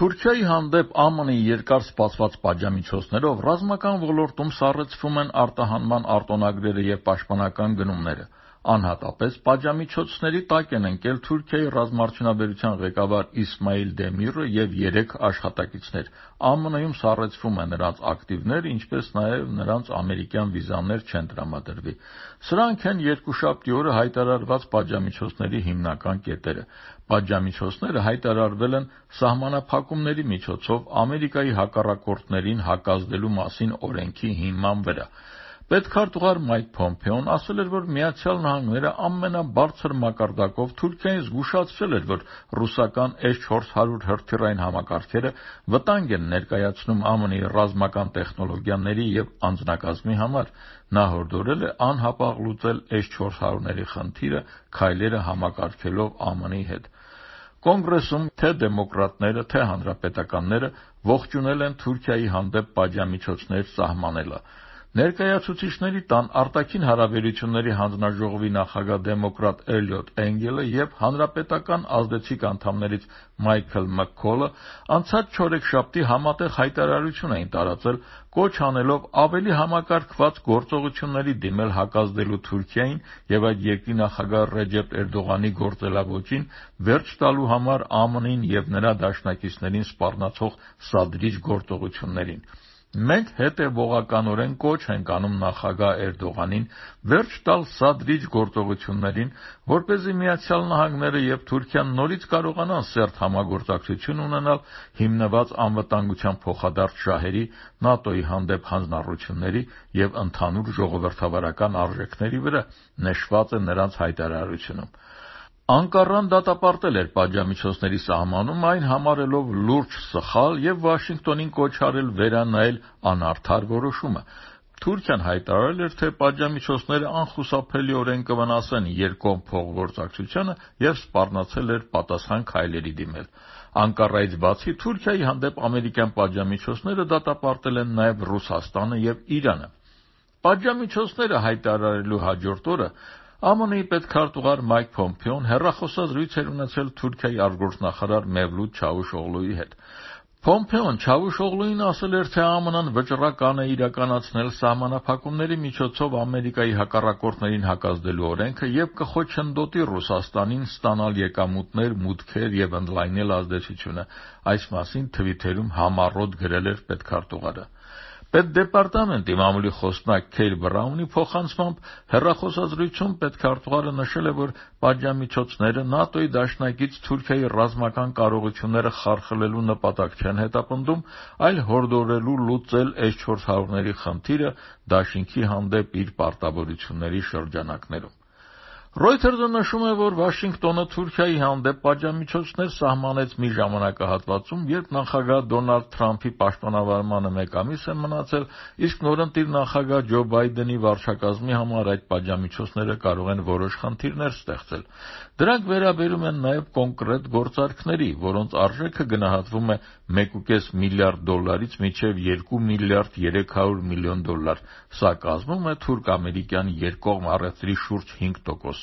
Թուրքիայի հանդեպ ԱՄՆ-ի երկար սպասված պատժամիջոցներով ռազմական ոլորտում սառեցվում են արտահանման արտոնագրերը և պաշտպանական գնումները։ Անհատապես պատժամիջոցների տակ են ընկել Թուրքիայի ռազմաարդյունաբերության ղեկավար Իսմայիլ Դեմիրը և 3 աշխատակիցներ։ ԱՄՆ-ում սառեցվում է նրանց ակտիվները, ինչպես նաև նրանց ամերիկյան վիզաներ չեն տրամադրվի։ Սրանք են երկուշաբթի օրը հայտարարված պատժամիջոցների հիմնական կետերը։ Պատժամիջոցները հայտարարվել են սահմանափակումների միջոցով Ամերիկայի հակառակորդներին հակազդելու մասին օրենքի հիման վրա։ Պետքարտուղար Մայք Փոմփեոն ասել էր, որ ԱՄՆ-ը ամենաբարձր մակարդակով Թուրքիային զգուշացրել էր, որ ռուսական S-400 հրթիռային համակարգերը վտանգ են ներկայացնում ԱՄՆ-ի ռազմական տեխնոլոգիաների և անձնակազմի համար։ Նա հորդորել է անհապաղ լուծել S-400-ների խնդիրը քայլերը համակարգելով ԱՄՆ-ի հետ։ Կոնգրեսում թե դեմոկրատները, թե հանրապետականները ողջունել են Թուրքիայի հանդեպ պատժամիջոցներ սահմանելը։ Ներկայացուցիչների տան արտաքին հարաբերությունների հանձնաժողովի նախագահ դեմոկրատ Էլիոտ Էնգելը և հանրապետական ազդեցիկ անդամներից Մայքլ Մաքքոլը անցած չորեքշաբթի համատեղ հայտարարություն էին տարածել, կոչ անելով ավելի համակարգված գործողությունների դիմել հակազդելու Թուրքիային և այդ երկրի նախագահ Ռեջեփ Էրդողանի գործելավոճին վերջ տալու համար ԱՄՆ-ին և նրա դաշնակիցներին սպառնացող սադրիչ գործողություններին։ Մենք հետևողականորեն կոչ ենք անում նախագահ Էրդողանին վերջ տալ սադրիչ գործողություններին, որպեսզի ԱՄՆ-ը և Թուրքիան նորից կարողանան սերտ համագործակցություն ունենալ հիմնված անվտանգության փոխադարձ շահերի, ՆԱՏՕ-ի հանդեպ հանձնառությունների և ընդհանուր ժողովրդավարական արժեքների վրա, նշված է նրանց հայտարարությունում։ Անկառան դատապարտել էր պատժամիջոցների սահմանումը, այն համարելով լուրջ սխալ և Վաշինգտոնին կոչ արել վերանայել անարդար որոշումը։ Թուրքիան հայտարարել էր, թե պատժամիջոցները անխուսափելիորեն կվնասեն երկկողմ փոխգործակցությանը և սպառնացել էր պատասխան քայլերի դիմել։ Անկառայից բացի, Թուրքիայի հանդեպ ամերիկյան պատժամիջոցները դատապարտել են նաև Ռուսաստանը և Իրանը։ Պատժամիջոցները հայտարարելու հաջորդ օրը ԱՄՆ-ի պետքարտուղար Մայք Փոմփեոն հեռախոսազրույց էր ունեցել Թուրքիայի արտգործնախարար Մևլութ Չավուշօղլուի հետ։ Փոմփեոն Չավուշօղլուին ասել էր, թե ԱՄՆ-ն վճռական է իրականացնել սահմանափակումների միջոցով Ամերիկայի հակառակորդներին հակազդելու օրենքը և կխոչընդոտի Ռուսաստանին ստանալ եկամուտներ, մուտքեր և ընդլայնել ազդեցությունը։ Այս մասին թվիթերում համառոտ գրել էր պետքարտուղարը։ Պետդեպարտամենտի մամուլի խոսնակ Քեյլ Բրաունի փոխանցմամբ հեռախոսազրույցում պետքարտուղարը նշել է, որ պատժամիջոցները ՆԱՏՕ-ի դաշնակից Թուրքիայի ռազմական կարողությունները խարխլելու նպատակ չեն հետապնդում, այլ հորդորելու լուծել S-400-ների խնդիրը դաշինքի հանդեպ իր պարտավորությունների շրջանակներում։ Reuters-ը նշում է, որ Վաշինգտոնը Թուրքիայի հանդեպ պատժամիջոցներ սահմանեց մի ժամանակահատվածում, երբ նախագահ Դոնալդ Թրամփի պաշտոնավարմանը 1 ամիս է մնացել, իսկ նորընտիր նախագահ Ջո Բայդենի վարչակազմի համար այդ պատժամիջոցները կարող են որոշ խնդիրներ ստեղծել։ Դրանք վերաբերում են նաև կոնկրետ գործարքների, որոնց արժեքը գնահատվում է $1.5 միլիարդից մինչև $2 միլիարդ 300 միլիոն։ Սա կազմում է թուրք-ամերիկյան երկկողմ առևտրի շուրջ 5%-ը։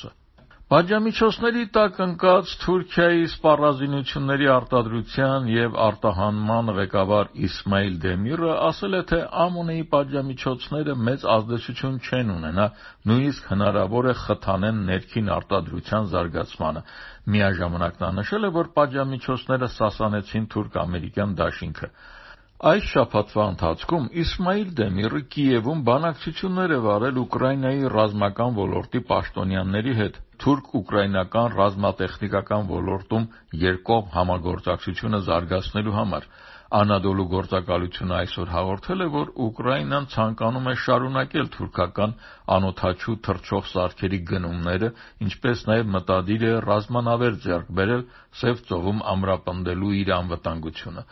Պատժամիջոցների տակ ընկած Թուրքիայի սպառազինությունների արտադրության և արտահանման ղեկավար Իսմայիլ Դեմիրը ասել է, թե ԱՄՆ-ի պատժամիջոցները մեծ ազդեցություն չեն ունենա, նույնիսկ հնարավոր է խթանեն ներքին արտադրության զարգացմանը։ Միաժամանակ նա նշել է, որ պատժամիջոցները սասանեցին թուրք-ամերիկյան դաշինքը։ Այս շաբաթվա ընթացքում Իսմայիլ Դեմիրը Կիևում բանակցություններ է վարել Ուկրաինայի ռազմական ոլորտի պաշտոնյաների հետ թուրք-ուկրաինական ռազմատեխնիկական ոլորտում երկկողմ համագործակցությունը զարգացնելու համար։ Անադոլու գործակալությունը այսօր հաղորդել է, որ Ուկրաինան ցանկանում է շարունակել թուրքական անօդաչու թռչող սարքերի գնումները, ինչպես նաև մտադիր է ռազմանավեր ձեռք բերել Սև ծովում ամրապնդելու իր անվտանգությունը։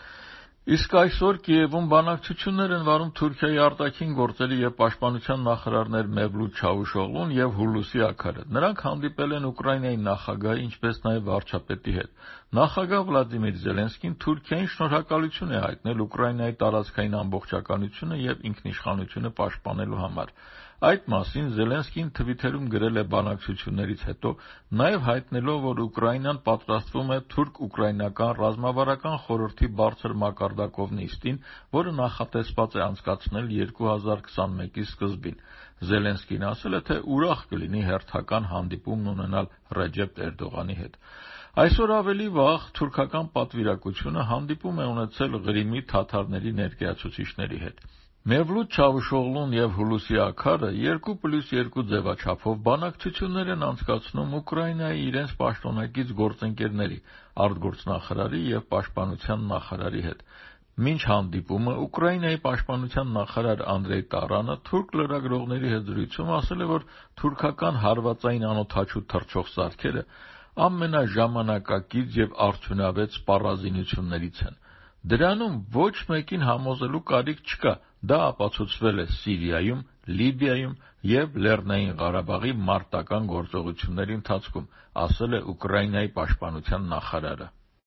Իսկ այսօր Կիևում բանակցություններ են վարում Թուրքիայի արտաքին գործերի և պաշտպանության նախարարներ Մևլութ Չավուշօղլուն և Հուլուսի Աքարը։ Նրանք հանդիպել են Ուկրաինայի նախագահի, ինչպես նաև վարչապետի հետ։ Նախագահ Վլադիմիր Զելենսկին Թուրքիային շնորհակալություն է հայտնել Ուկրաինայի տարածքային ամբողջականությունը և ինքնիշխանությունը պաշտպանելու համար։ Այդ մասին Զելենսկին Թվիթերում գրել է բանակցություններից հետո, նաև հայտնելով, որ Ուկրաինան պատրաստվում է թուրք-ուկրաինական ռազմավարական խորհրդի բարձր մակարդակով նիստին, որը նախատեսված է անցկացնել 2021-ի սկզբին։ Զելենսկին ասել է, թե ուրախ կլինի հերթական հանդիպումն ունենալ Ռեջեփ Էրդողանի հետ։ Այսօր ավելի վաղ թուրքական պատվիրակությունը հանդիպում է ունեցել Ղրիմի թաթարների ներկայացուցիչների հետ։ Մևլութ Չավուշօղլուն և Հուլուսի Աքարը 2+2 ձևաչափով բանակցություններ են անցկացնում Ուկրաինայի իրենց պաշտոնակից գործընկերների, արտգործնախարարի և պաշտպանության նախարարի հետ։ Մինչ հանդիպումը Ուկրաինայի պաշտպանության նախարար Անդրեյ Տարանը թուրք լրագրողների հետ զրույցում ասել է, որ թուրքական հարվածային անօդաչու թռչող սարքերը ամենաժամանակակից և արդյունավետ սպառազինություններից են։ Դրանում ոչ մեկին համոզելու կարիք չկա, դա ապացուցվել է Սիրիայում, Լիբիայում և Լեռնային Ղարաբաղի մարտական գործողությունների ընթացքում, ասել է Ուկրաինայի պաշտպանության նախարարը։